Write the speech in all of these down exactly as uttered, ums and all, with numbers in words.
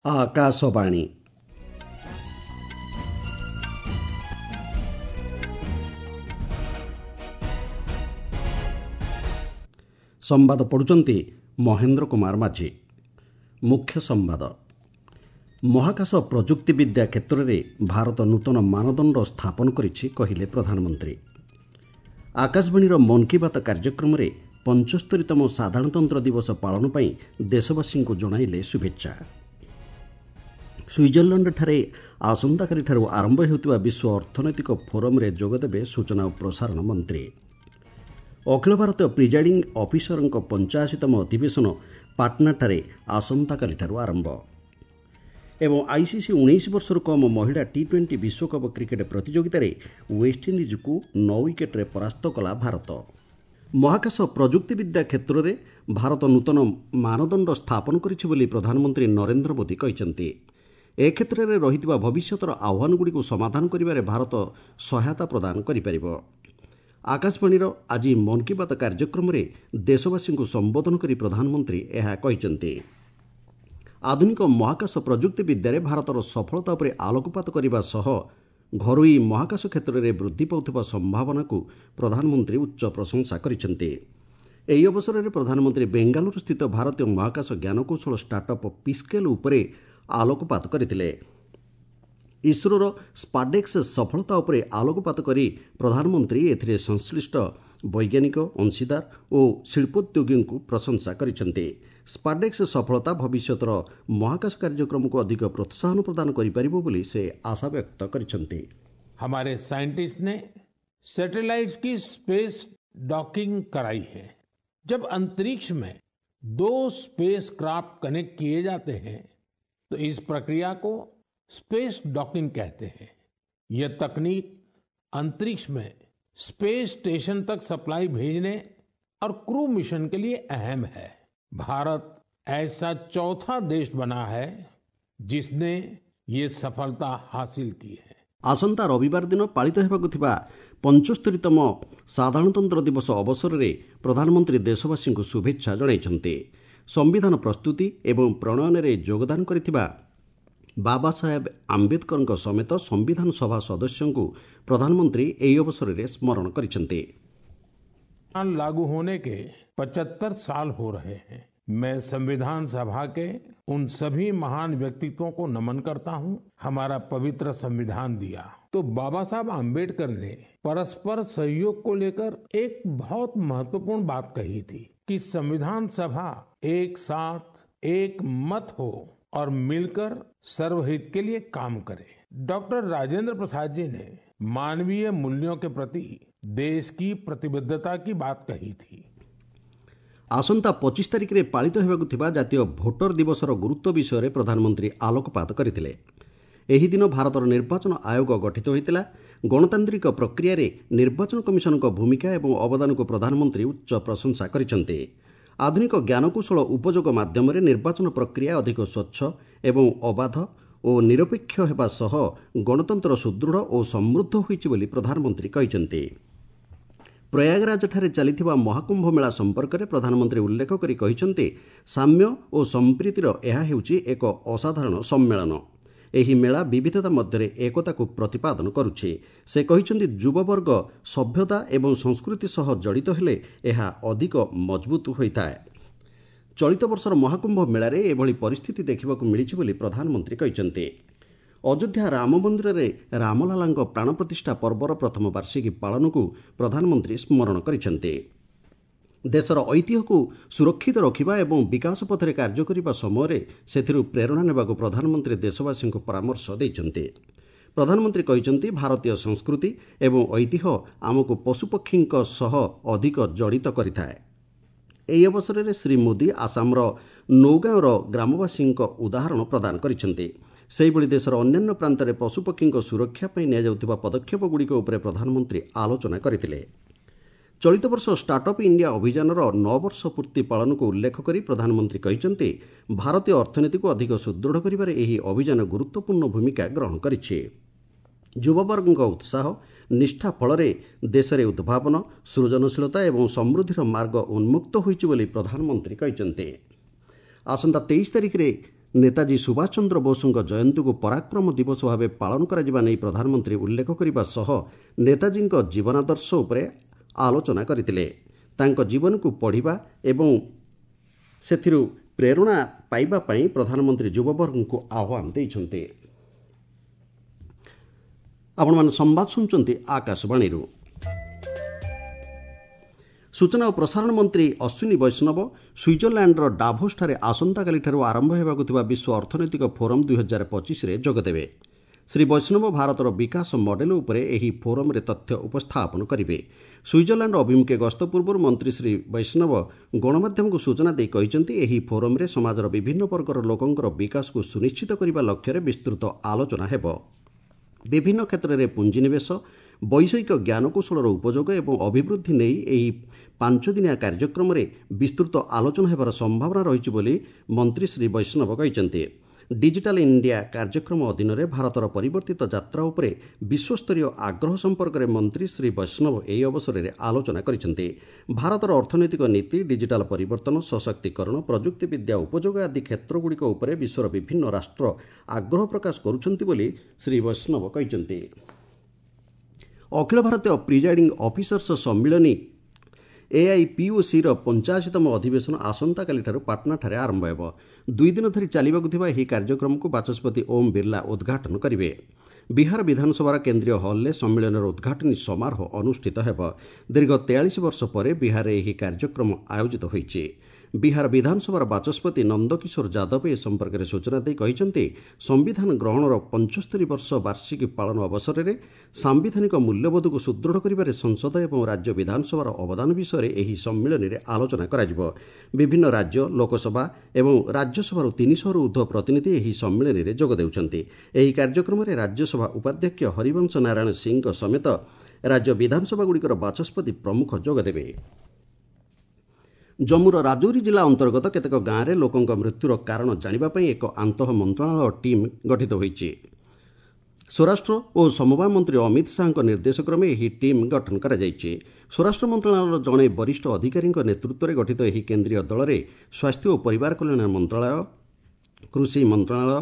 ଆକାଶବାଣୀ। ସମ୍ବାଦ ପଢ଼ୁଛନ୍ତି ମହେନ୍ଦ୍ର କୁମାର ମାଝୀ। ମୁଖ୍ୟ ସମ୍ବାଦ। ମହାକାଶ ପ୍ରଯୁକ୍ତିବିଦ୍ୟା କ୍ଷେତ୍ରରେ ଭାରତ ନୂତନ ମାନଦଣ୍ଡ ସ୍ଥାପନ କରିଛି, କହିଲେ ପ୍ରଧାନମନ୍ତ୍ରୀ। ଆକାଶବାଣୀର ମନ୍ କି ବାତ୍ କାର୍ଯ୍ୟକ୍ରମରେ ପଞ୍ଚସ୍ତରୀତମ ସାଧାରଣତନ୍ତ୍ର ଦିବସ ପାଳନ ପାଇଁ ଦେଶବାସୀଙ୍କୁ ଜଣାଇଲେ ଶୁଭେଚ୍ଛା। ସୁଇଜରଲ୍ୟାଣ୍ଡଠାରେ ଆସନ୍ତାକାଲିଠାରୁ ଆରମ୍ଭ ହେଉଥିବା ବିଶ୍ୱ ଅର୍ଥନୈତିକ ଫୋରମ୍ରେ ଯୋଗଦେବେ ସୂଚନା ଓ ପ୍ରସାରଣ ମନ୍ତ୍ରୀ। ଅଖିଳ ଭାରତୀୟ ପ୍ରିଜାଇଡିଂ ଅଫିସରଙ୍କ ପଞ୍ଚାଅଶୀତମ ଅଧିବେଶନ ପାଟନାଠାରେ ଆସନ୍ତାକାଲିଠାରୁ ଆରମ୍ଭ। ଏବଂ ଆଇସିସି ଉଣେଇଶ ବର୍ଷରୁ କମ୍ ମହିଳା ଟି ଟ୍ୱେଣ୍ଟି ବିଶ୍ୱକପ୍ କ୍ରିକେଟ୍ ପ୍ରତିଯୋଗିତାରେ ୱେଷ୍ଟଇଣ୍ଡିଜ୍କୁ ନଅ ୱିକେଟ୍ରେ ପରାସ୍ତ କଲା ଭାରତ। ମହାକାଶ ପ୍ରଯୁକ୍ତିବିଦ୍ୟା କ୍ଷେତ୍ରରେ ଭାରତ ନୂତନ ମାନଦଣ୍ଡ ସ୍ଥାପନ କରିଛି ବୋଲି ପ୍ରଧାନମନ୍ତ୍ରୀ ନରେନ୍ଦ୍ର ମୋଦି କହିଛନ୍ତି। ଏ କ୍ଷେତ୍ରରେ ରହିଥିବା ଭବିଷ୍ୟତର ଆହ୍ୱାନଗୁଡ଼ିକୁ ସମାଧାନ କରିବାରେ ଭାରତ ସହାୟତା ପ୍ରଦାନ କରିପାରିବ। ଆକାଶବାଣୀର ଆଜି ମନ୍ କି ବାତ୍ କାର୍ଯ୍ୟକ୍ରମରେ ଦେଶବାସୀଙ୍କୁ ସମ୍ବୋଧନ କରି ପ୍ରଧାନମନ୍ତ୍ରୀ ଏହା କହିଛନ୍ତି। ଆଧୁନିକ ମହାକାଶ ପ୍ରଯୁକ୍ତିବିଦ୍ୟାରେ ଭାରତର ସଫଳତା ଉପରେ ଆଲୋକପାତ କରିବା ସହ ଘରୋଇ ମହାକାଶ କ୍ଷେତ୍ରରେ ବୃଦ୍ଧି ପାଉଥିବା ସମ୍ଭାବନାକୁ ପ୍ରଧାନମନ୍ତ୍ରୀ ଉଚ୍ଚ ପ୍ରଶଂସା କରିଛନ୍ତି। ଏହି ଅବସରରେ ପ୍ରଧାନମନ୍ତ୍ରୀ ବେଙ୍ଗାଲୁରୁସ୍ଥିତ ଭାରତୀୟ ମହାକାଶ ଜ୍ଞାନକୌଶଳ ଷ୍ଟାର୍ଟଅପ୍ ପିସ୍କେଲ୍ ଉପରେ ଆଲୋକପାତ କରିଥିଲେ। ଇସ୍ରୋର ସ୍ପାଡେକ୍ସ ସଫଳତା ଉପରେ ଆଲୋକପାତ କରି ପ୍ରଧାନମନ୍ତ୍ରୀ ଏଥିରେ ସଂଶ୍ଳିଷ୍ଟ ବୈଜ୍ଞାନିକ, ଅଂଶୀଦାର ଓ ଶିଳ୍ପୋଦ୍ୟୋଗୀଙ୍କୁ ପ୍ରଶଂସା କରିଛନ୍ତି। ସ୍ପାଡେକ୍ସ ସଫଳତା ଭବିଷ୍ୟତର ମହାକାଶ କାର୍ଯ୍ୟକ୍ରମକୁ ଅଧିକ ପ୍ରୋତ୍ସାହନ ପ୍ରଦାନ କରିପାରିବ ବୋଲି ସେ ଆଶା ବ୍ୟକ୍ତ କରିଛନ୍ତି। हमारे साइंटिस्ट ने सैटेलाइट्स की स्पेस डॉकिंग कराई है। जब अंतरिक्ष में दो स्पेसक्राफ्ट कनेक्ट किए जाते हैं तो इस प्रक्रिया को स्पेस डॉकिंग कहते हैं। यह तकनीक अंतरिक्ष में स्पेस स्टेशन तक सप्लाई भेजने और क्रू मिशन के लिए अहम है। भारत ऐसा चौथा देश बना है जिसने ये सफलता हासिल की है। ଆସନ୍ତା ରବିବାର ଦିନ ପାଳିତ ହେବାକୁ ଥିବା ପଞ୍ଚସ୍ତରୀତମ ସାଧାରଣତନ୍ତ୍ର ଦିବସ ଅବସରରେ ପ୍ରଧାନମନ୍ତ୍ରୀ ଦେଶବାସୀଙ୍କୁ ଶୁଭେଚ୍ଛା ଜଣାଇଛନ୍ତି। ସମ୍ବିଧାନ ପ୍ରସ୍ତୁତି ଏବଂ ପ୍ରଣୟନରେ ଯୋଗଦାନ କରିଥିବା ବାବା ସାହେବ ଆମ୍ବେଦକରଙ୍କ ସମେତ ସମ୍ବିଧାନ ସଭା ସଦସ୍ୟଙ୍କୁ ପ୍ରଧାନମନ୍ତ୍ରୀ ଏହି ଅବସରରେ ସ୍ମରଣ କରିଛନ୍ତି। लागू होने के पचहत्तर साल हो रहे हैं। मैं संविधान सभा के उन सभी महान व्यक्तित्वों को नमन करता हूं। हमारा पवित्र संविधान दिया तो बाबा साहब आम्बेडकर ने परस्पर सहयोग को लेकर एक बहुत महत्वपूर्ण बात कही थी कि संविधान सभा एक साथ एक मत हो और मिलकर सर्वहित के लिए काम करे। डॉक्टर राजेंद्र प्रसाद जी ने मानवीय मूल्यों के प्रति देश की प्रतिबद्धता की बात कही थी। ଆସନ୍ତା ପଚିଶ ତାରିଖରେ ପାଳିତ ହେବାକୁ ଥିବା ଜାତୀୟ ଭୋଟର ଦିବସର ଗୁରୁତ୍ୱ ବିଷୟରେ ପ୍ରଧାନମନ୍ତ୍ରୀ ଆଲୋକପାତ କରିଥିଲେ। ଏହି ଦିନ ଭାରତର ନିର୍ବାଚନ ଆୟୋଗ ଗଠିତ ହୋଇଥିଲା। ଗଣତାନ୍ତ୍ରିକ ପ୍ରକ୍ରିୟାରେ ନିର୍ବାଚନ କମିଶନଙ୍କ ଭୂମିକା ଏବଂ ଅବଦାନକୁ ପ୍ରଧାନମନ୍ତ୍ରୀ ଉଚ୍ଚ ପ୍ରଶଂସା କରିଛନ୍ତି। ଆଧୁନିକ ଜ୍ଞାନକୌଶଳ ଉପଯୋଗ ମାଧ୍ୟମରେ ନିର୍ବାଚନ ପ୍ରକ୍ରିୟା ଅଧିକ ସ୍ୱଚ୍ଛ ଏବଂ ଅବାଧ ଓ ନିରପେକ୍ଷ ହେବା ସହ ଗଣତନ୍ତ୍ର ସୁଦୃଢ଼ ଓ ସମୃଦ୍ଧ ହୋଇଛି ବୋଲି ପ୍ରଧାନମନ୍ତ୍ରୀ କହିଛନ୍ତି। ପ୍ରୟାଗରାଜଠାରେ ଚାଲିଥିବା ମହାକୁମ୍ଭ ମେଳା ସମ୍ପର୍କରେ ପ୍ରଧାନମନ୍ତ୍ରୀ ଉଲ୍ଲେଖ କରି କହିଛନ୍ତି, ସାମ୍ୟ ଓ ସମ୍ପ୍ରୀତିର ଏହା ହେଉଛି ଏକ ଅସାଧାରଣ ସମ୍ମେଳନ। ଏହି ମେଳା ବିବିଧତା ମଧ୍ୟରେ ଏକତାକୁ ପ୍ରତିପାଦନ କରୁଛି। ସେ କହିଛନ୍ତି, ଯୁବବର୍ଗ ସଭ୍ୟତା ଏବଂ ସଂସ୍କୃତି ସହ ଜଡ଼ିତ ହେଲେ ଏହା ଅଧିକ ମଜବୁତ ହୋଇଥାଏ। ଚଳିତ ବର୍ଷର ମହାକୁମ୍ଭ ମେଳାରେ ଏଭଳି ପରିସ୍ଥିତି ଦେଖିବାକୁ ମିଳିଛି ବୋଲି ପ୍ରଧାନମନ୍ତ୍ରୀ କହିଛନ୍ତି। ଅଯୋଧ୍ୟା ରାମ ମନ୍ଦିରରେ ରାମଲାଲାଙ୍କ ପ୍ରାଣ ପ୍ରତିଷ୍ଠା ପର୍ବର ପ୍ରଥମ ବାର୍ଷିକୀ ପାଳନକୁ ପ୍ରଧାନମନ୍ତ୍ରୀ ସ୍ମରଣ କରିଛନ୍ତି। ଦେଶର ଐତିହ୍ୟକୁ ସୁରକ୍ଷିତ ରଖିବା ଏବଂ ବିକାଶ ପଥରେ କାର୍ଯ୍ୟ କରିବା ସମୟରେ ସେଥିରୁ ପ୍ରେରଣା ନେବାକୁ ପ୍ରଧାନମନ୍ତ୍ରୀ ଦେଶବାସୀଙ୍କୁ ପରାମର୍ଶ ଦେଇଛନ୍ତି। ପ୍ରଧାନମନ୍ତ୍ରୀ କହିଛନ୍ତି, ଭାରତୀୟ ସଂସ୍କୃତି ଏବଂ ଐତିହ୍ୟ ଆମକୁ ପଶୁପକ୍ଷୀଙ୍କ ସହ ଅଧିକ ଜଡ଼ିତ କରିଥାଏ। ଏହି ଅବସରରେ ଶ୍ରୀ ମୋଦି ଆସାମର ନୌଗାଁର ଗ୍ରାମବାସୀଙ୍କ ଉଦାହରଣ ପ୍ରଦାନ କରିଛନ୍ତି। ସେହିଭଳି ଦେଶର ଅନ୍ୟାନ୍ୟ ପ୍ରାନ୍ତରେ ପଶୁପକ୍ଷୀଙ୍କ ସୁରକ୍ଷା ପାଇଁ ନିଆଯାଉଥିବା ପଦକ୍ଷେପଗୁଡ଼ିକ ଉପରେ ପ୍ରଧାନମନ୍ତ୍ରୀ ଆଲୋଚନା କରିଥିଲେ। ଚଳିତ ବର୍ଷ ଷ୍ଟାର୍ଟଅପ୍ ଇଣ୍ଡିଆ ଅଭିଯାନର ନଅ ବର୍ଷ ପୂର୍ତ୍ତି ପାଳନକୁ ଉଲ୍ଲେଖ କରି ପ୍ରଧାନମନ୍ତ୍ରୀ କହିଛନ୍ତି, ଭାରତୀୟ ଅର୍ଥନୀତିକୁ ଅଧିକ ସୁଦୃଢ଼ କରିବାରେ ଏହି ଅଭିଯାନ ଗୁରୁତ୍ୱପୂର୍ଣ୍ଣ ଭୂମିକା ଗ୍ରହଣ କରିଛି। ଯୁବବର୍ଗଙ୍କ ଉତ୍ସାହ, ନିଷ୍ଠା ଫଳରେ ଦେଶରେ ଉଦ୍ଭାବନ, ସୃଜନଶୀଳତା ଏବଂ ସମୃଦ୍ଧିର ମାର୍ଗ ଉନ୍ମୁକ୍ତ ହୋଇଛି ବୋଲି ପ୍ରଧାନମନ୍ତ୍ରୀ କହିଛନ୍ତି। ଆସନ୍ତା ତେଇଶ ତାରିଖରେ ନେତାଜୀ ସୁଭାଷ ଚନ୍ଦ୍ର ବୋଷଙ୍କ ଜୟନ୍ତୀକୁ ପରାକ୍ରମ ଦିବସ ଭାବେ ପାଳନ କରାଯିବା ନେଇ ପ୍ରଧାନମନ୍ତ୍ରୀ ଉଲ୍ଲେଖ କରିବା ସହ ନେତାଜୀଙ୍କ ଜୀବନାଦର୍ଶ ଉପରେ ଆଲୋଚନା କରିଥିଲେ। ତାଙ୍କ ଜୀବନକୁ ପଢ଼ିବା ଏବଂ ସେଥିରୁ ପ୍ରେରଣା ପାଇବା ପାଇଁ ପ୍ରଧାନମନ୍ତ୍ରୀ ଯୁବବର୍ଗଙ୍କୁ ଆହ୍ୱାନ ଦେଇଛନ୍ତି। ଆପଣମାନେ ସମ୍ବାଦ ଶୁଣୁଛନ୍ତି ଆକାଶବାଣୀରୁ। ସୂଚନା ଓ ପ୍ରସାରଣ ମନ୍ତ୍ରୀ ଅଶ୍ୱିନୀ ବୈଷ୍ଣବ ସୁଇଜରଲ୍ୟାଣ୍ଡର ଡାଭୋସଠାରେ ଆସନ୍ତାକାଲିଠାରୁ ଆରମ୍ଭ ହେବାକୁ ଥିବା ବିଶ୍ୱ ଅର୍ଥନୈତିକ ଫୋରମ୍ ଦୁଇହଜାର ପଚିଶରେ ଯୋଗଦେବେ। ଶ୍ରୀ ବୈଷ୍ଣବ ଭାରତର ବିକାଶ ମଡେଲ ଉପରେ ଏହି ଫୋରମ୍ରେ ତଥ୍ୟ ଉପସ୍ଥାପନ କରିବେ। ସୁଇଜରଲ୍ୟାଣ୍ଡ ଅଭିମୁଖେ ଗସ୍ତ ପୂର୍ବରୁ ମନ୍ତ୍ରୀ ଶ୍ରୀ ବୈଷ୍ଣବ ଗଣମାଧ୍ୟମକୁ ସୂଚନା ଦେଇ କହିଛନ୍ତି, ଏହି ଫୋରମ୍ରେ ସମାଜର ବିଭିନ୍ନ ବର୍ଗର ଲୋକଙ୍କର ବିକାଶକୁ ସୁନିଶ୍ଚିତ କରିବା ଲକ୍ଷ୍ୟରେ ବିସ୍ତୃତ ଆଲୋଚନା ହେବ। ବିଭିନ୍ନ କ୍ଷେତ୍ରରେ ପୁଞ୍ଜିନିବେଶ, ବୈଷୟିକ ଜ୍ଞାନକୌଶଳର ଉପଯୋଗ ଏବଂ ଅଭିବୃଦ୍ଧି ନେଇ ଏହି ପାଞ୍ଚଦିନିଆ କାର୍ଯ୍ୟକ୍ରମରେ ବିସ୍ତୃତ ଆଲୋଚନା ହେବାର ସମ୍ଭାବନା ରହିଛି ବୋଲି ମନ୍ତ୍ରୀ ଶ୍ରୀ ବୈଷ୍ଣବ କହିଛନ୍ତି। ଡିଜିଟାଲ ଇଣ୍ଡିଆ କାର୍ଯ୍ୟକ୍ରମ ଅଧୀନରେ ଭାରତର ପରିବର୍ତ୍ତିତ ଯାତ୍ରା ଉପରେ ବିଶ୍ୱସ୍ତରୀୟ ଆଗ୍ରହ ସମ୍ପର୍କରେ ମନ୍ତ୍ରୀ ଶ୍ରୀ ବୈଷ୍ଣବ ଏହି ଅବସରରେ ଆଲୋଚନା କରିଛନ୍ତି। ଭାରତର ଅର୍ଥନୈତିକ ନୀତି, ଡିଜିଟାଲ ପରିବର୍ତ୍ତନ, ସଶକ୍ତିକରଣ, ପ୍ରଯୁକ୍ତିବିଦ୍ୟା ଉପଯୋଗ ଆଦି କ୍ଷେତ୍ରଗୁଡ଼ିକ ଉପରେ ବିଶ୍ୱର ବିଭିନ୍ନ ରାଷ୍ଟ୍ର ଆଗ୍ରହ ପ୍ରକାଶ କରୁଛନ୍ତି ବୋଲି ଶ୍ରୀ ବୈଷ୍ଣବ କହିଛନ୍ତି। ଅଖିଳ ଭାରତୀୟ ପ୍ରିଜାଇଡିଂ ଅଫିସର୍ସ ସମ୍ମିଳନୀ ଏଆଇପିଓସିର ପଞ୍ଚାଅଶୀତମ ଅଧିବେଶନ ଆସନ୍ତାକାଲିଠାରୁ ପାଟନାଠାରେ ଆରମ୍ଭ ହେବ। ଦୁଇ ଦିନ ଧରି ଚାଲିବାକୁ ଥିବା ଏହି କାର୍ଯ୍ୟକ୍ରମକୁ ବାଚସ୍ପତି ଓମ୍ ବିର୍ଲା ଉଦ୍ଘାଟନ କରିବେ। ବିହାର ବିଧାନସଭାର କେନ୍ଦ୍ରୀୟ ହଲ୍ରେ ସମ୍ମିଳନୀର ଉଦ୍ଘାଟନୀ ସମାରୋହ ଅନୁଷ୍ଠିତ ହେବ। ଦୀର୍ଘ ତେୟାଳିଶ ବର୍ଷ ପରେ ବିହାରରେ ଏହି କାର୍ଯ୍ୟକ୍ରମ ଆୟୋଜିତ ହୋଇଛି। ବିହାର ବିଧାନସଭାର ବାଚସ୍ପତି ନନ୍ଦକିଶୋର ଯାଦବ ଏ ସମ୍ପର୍କରେ ସୂଚନା ଦେଇ କହିଛନ୍ତି, ସମ୍ବିଧାନ ଗ୍ରହଣର ପଞ୍ଚସ୍ତରୀ ବର୍ଷ ବାର୍ଷିକୀ ପାଳନ ଅବସରରେ ସାମ୍ବିଧାନିକ ମୂଲ୍ୟବୋଧକୁ ସୁଦୃଢ଼ କରିବାରେ ସଂସଦ ଏବଂ ରାଜ୍ୟ ବିଧାନସଭାର ଅବଦାନ ବିଷୟରେ ଏହି ସମ୍ମିଳନୀରେ ଆଲୋଚନା କରାଯିବ। ବିଭିନ୍ନ ରାଜ୍ୟ ଲୋକସଭା ଏବଂ ରାଜ୍ୟସଭାରୁ ତିନିଶହରୁ ଉର୍ଦ୍ଧ୍ୱ ପ୍ରତିନିଧି ଏହି ସମ୍ମିଳନୀରେ ଯୋଗ ଦେଉଛନ୍ତି। ଏହି କାର୍ଯ୍ୟକ୍ରମରେ ରାଜ୍ୟସଭା ଉପାଧ୍ୟକ୍ଷ ହରିବଂଶ ନାରାୟଣ ସିଂଙ୍କ ସମେତ ରାଜ୍ୟ ବିଧାନସଭାଗୁଡ଼ିକର ବାଚସ୍ପତି ପ୍ରମୁଖ ଯୋଗଦେବେ। ଜମ୍ମୁର ରାଜୌରୀ ଜିଲ୍ଲା ଅନ୍ତର୍ଗତ କେତେକ ଗାଁରେ ଲୋକଙ୍କ ମୃତ୍ୟୁର କାରଣ ଜାଣିବା ପାଇଁ ଏକ ଆନ୍ତଃ ମନ୍ତ୍ରଣାଳୟ ଟିମ୍ ଗଠିତ ହୋଇଛି। ସ୍ୱରାଷ୍ଟ୍ର ଓ ସମବାୟ ମନ୍ତ୍ରୀ ଅମିତ ଶାହାଙ୍କ ନିର୍ଦ୍ଦେଶକ୍ରମେ ଏହି ଟିମ୍ ଗଠନ କରାଯାଇଛି। ସ୍ୱରାଷ୍ଟ୍ର ମନ୍ତ୍ରଣାଳୟର ଜଣେ ବରିଷ୍ଠ ଅଧିକାରୀଙ୍କ ନେତୃତ୍ୱରେ ଗଠିତ ଏହି କେନ୍ଦ୍ରୀୟ ଦଳରେ ସ୍ୱାସ୍ଥ୍ୟ ଓ ପରିବାର କଲ୍ୟାଣ ମନ୍ତ୍ରଣାଳୟ, କୃଷି ମନ୍ତ୍ରଣାଳୟ,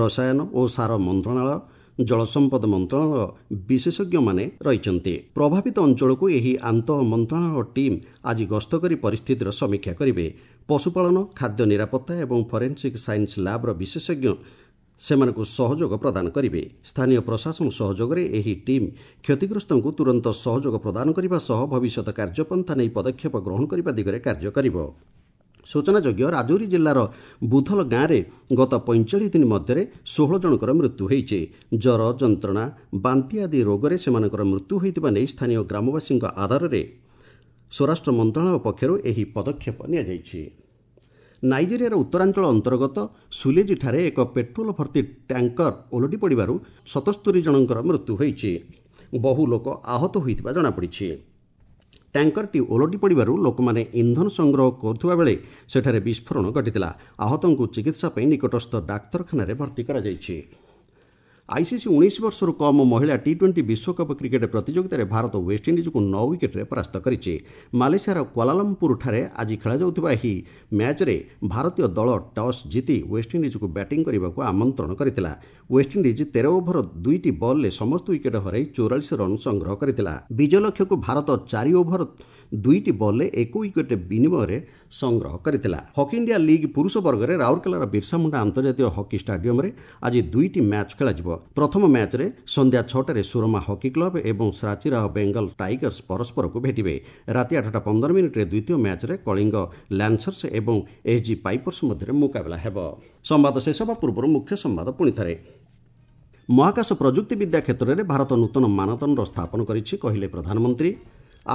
ରସାୟନ ଓ ସାର ମନ୍ତ୍ରଣାଳୟ, ଜଳସମ୍ପଦ ମନ୍ତ୍ରଣାଳୟ ବିଶେଷଜ୍ଞମାନେ ରହିଛନ୍ତି। ପ୍ରଭାବିତ ଅଞ୍ଚଳକୁ ଏହି ଆନ୍ତଃ ମନ୍ତ୍ରଣାଳୟ ଟିମ୍ ଆଜି ଗସ୍ତ କରି ପରିସ୍ଥିତିର ସମୀକ୍ଷା କରିବେ। ପଶୁପାଳନ, ଖାଦ୍ୟ ନିରାପତ୍ତା ଏବଂ ଫରେନ୍ସିକ୍ ସାଇନ୍ସ ଲ୍ୟାବ୍ର ବିଶେଷଜ୍ଞ ସେମାନଙ୍କୁ ସହଯୋଗ ପ୍ରଦାନ କରିବେ। ସ୍ଥାନୀୟ ପ୍ରଶାସନ ସହଯୋଗରେ ଏହି ଟିମ୍ କ୍ଷତିଗ୍ରସ୍ତଙ୍କୁ ତୁରନ୍ତ ସହଯୋଗ ପ୍ରଦାନ କରିବା ସହ ଭବିଷ୍ୟତ କାର୍ଯ୍ୟପନ୍ଥା ନେଇ ପଦକ୍ଷେପ ଗ୍ରହଣ କରିବା ଦିଗରେ କାର୍ଯ୍ୟ କରିବ। ସୂଚନାଯୋଗ୍ୟ, ରାଜୌରୀ ଜିଲ୍ଲାର ବୁଧଲ ଗାଁରେ ଗତ ପଇଁଚାଳିଶ ଦିନ ମଧ୍ୟରେ ଷୋହଳ ଜଣଙ୍କର ମୃତ୍ୟୁ ହୋଇଛି। ଜ୍ୱର, ଯନ୍ତ୍ରଣା, ବାନ୍ତି ଆଦି ରୋଗରେ ସେମାନଙ୍କର ମୃତ୍ୟୁ ହୋଇଥିବା ନେଇ ସ୍ଥାନୀୟ ଗ୍ରାମବାସୀଙ୍କ ଆଧାରରେ ସ୍ୱରାଷ୍ଟ୍ର ମନ୍ତ୍ରଣାଳୟ ପକ୍ଷରୁ ଏହି ପଦକ୍ଷେପ ନିଆଯାଇଛି। ନାଇଜେରିଆର ଉତ୍ତରାଞ୍ଚଳ ଅନ୍ତର୍ଗତ ସୁଲେଜିଠାରେ ଏକ ପେଟ୍ରୋଲ ଭର୍ତ୍ତି ଟ୍ୟାଙ୍କର ଓଲଟି ପଡ଼ିବାରୁ ସତସ୍ତରୀ ଜଣଙ୍କର ମୃତ୍ୟୁ ହୋଇଛି। ବହୁ ଲୋକ ଆହତ ହୋଇଥିବା ଜଣାପଡ଼ିଛି। ଟ୍ୟାଙ୍କରଟି ଓଲଟି ପଡ଼ିବାରୁ ଲୋକମାନେ ଇନ୍ଧନ ସଂଗ୍ରହ କରୁଥିବା ବେଳେ ସେଠାରେ ବିସ୍ଫୋରଣ ଘଟିଥିଲା। ଆହତଙ୍କୁ ଚିକିତ୍ସା ପାଇଁ ନିକଟସ୍ଥ ଡାକ୍ତରଖାନାରେ ଭର୍ତ୍ତି କରାଯାଇଛି। ଆଇସିସି ଉଣେଇଶ ବର୍ଷରୁ କମ୍ ମହିଳା ଟି ଟ୍ୱେଣ୍ଟି ବିଶ୍ୱକପ୍ କ୍ରିକେଟ୍ ପ୍ରତିଯୋଗିତାରେ ଭାରତ ୱେଷ୍ଟଇଣ୍ଡିଜ୍କୁ ନଅ ୱିକେଟ୍ରେ ପରାସ୍ତ କରିଛି। ମାଲେସିଆର କ୍ୱାଲାଲମ୍ପୁରଠାରେ ଆଜି ଖେଳାଯାଉଥିବା ଏହି ମ୍ୟାଚ୍ରେ ଭାରତୀୟ ଦଳ ଟସ୍ ଜିତି ୱେଷ୍ଟଇଣ୍ଡିଜ୍କୁ ବ୍ୟାଟିଂ କରିବାକୁ ଆମନ୍ତ୍ରଣ କରିଥିଲା। ୱେଷ୍ଟଇଣ୍ଡିଜ୍ ତେର ଓଭର ଦୁଇଟି ବଲ୍ରେ ସମସ୍ତ ୱିକେଟ୍ ହରାଇ ଚଉରାଳିଶ ରନ୍ ସଂଗ୍ରହ କରିଥିଲା। ବିଜୟ ଲକ୍ଷ୍ୟକୁ ଭାରତ ଚାରି ଓଭର ଦୁଇଟି ବଲ୍ରେ ଏକ ୱିକେଟ୍ ବିନିମୟରେ ସଂଗ୍ରହ କରିଥିଲା। ହକି ଇଣ୍ଡିଆ ଲିଗ୍ ପୁରୁଷ ବର୍ଗରେ ରାଉରକେଲାର ବିର୍ସା ମୁଣ୍ଡା ଆନ୍ତର୍ଜାତୀୟ ହକି ଷ୍ଟାଡିୟମରେ ଆଜି ଦୁଇଟି ମ୍ୟାଚ୍ ଖେଳାଯିବ। ପ୍ରଥମ ମ୍ୟାଚ୍ରେ ସନ୍ଧ୍ୟା ଛଅଟାରେ ସୁରମା ହକି କ୍ଲବ ଏବଂ ସାଚିରାହ ବେଙ୍ଗଲ ଟାଇଗର୍ସ ପରସ୍ପରକୁ ଭେଟିବେ। ରାତି ଆଠଟା ପନ୍ଦର ମିନିଟ୍ରେ ଦ୍ୱିତୀୟ ମ୍ୟାଚ୍ରେ କଳିଙ୍ଗ ଲ୍ୟାନ୍ସର୍ସ ଏବଂ ଏସ୍ଜି ପାଇପର୍ସ ମଧ୍ୟରେ ମୁକାବିଲା ହେବ। ସମ୍ବାଦ ଶେଷ ହେବା ପୂର୍ବରୁ ମୁଖ୍ୟ ସମ୍ବାଦ ପୁଣିଥରେ। ମହାକାଶ ପ୍ରଯୁକ୍ତିବିଦ୍ୟା କ୍ଷେତ୍ରରେ ଭାରତ ନୂତନ ମାନଦଣ୍ଡ ସ୍ଥାପନ କରିଛି, କହିଲେ ପ୍ରଧାନମନ୍ତ୍ରୀ।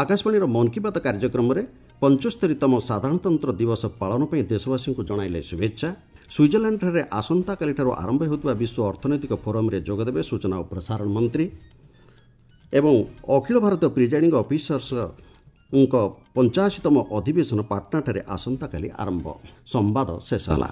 ଆକାଶବାଣୀର ମନ୍ କି ବାତ୍ କାର୍ଯ୍ୟକ୍ରମରେ ପଞ୍ଚସ୍ତରୀତମ ସାଧାରଣତନ୍ତ୍ର ଦିବସ ପାଳନ ପାଇଁ ଦେଶବାସୀଙ୍କୁ ଜଣାଇଲେ ଶୁଭେଚ୍ଛା। ସୁଇଜରଲ୍ୟାଣ୍ଡଠାରେ ଆସନ୍ତାକାଲିଠାରୁ ଆରମ୍ଭ ହେଉଥିବା ବିଶ୍ୱ ଅର୍ଥନୈତିକ ଫୋରମ୍ରେ ଯୋଗଦେବେ ସୂଚନା ଓ ପ୍ରସାରଣ ମନ୍ତ୍ରୀ। ଏବଂ ଅଖିଳ ଭାରତୀୟ ପ୍ରିଜାଇଡିଂ ଅଫିସର୍ସଙ୍କ ପଞ୍ଚାଅଶୀତମ ଅଧିବେଶନ ପାଟନାଠାରେ ଆସନ୍ତାକାଲି ଆରମ୍ଭ। ସମ୍ବାଦ ଶେଷ ହେଲା।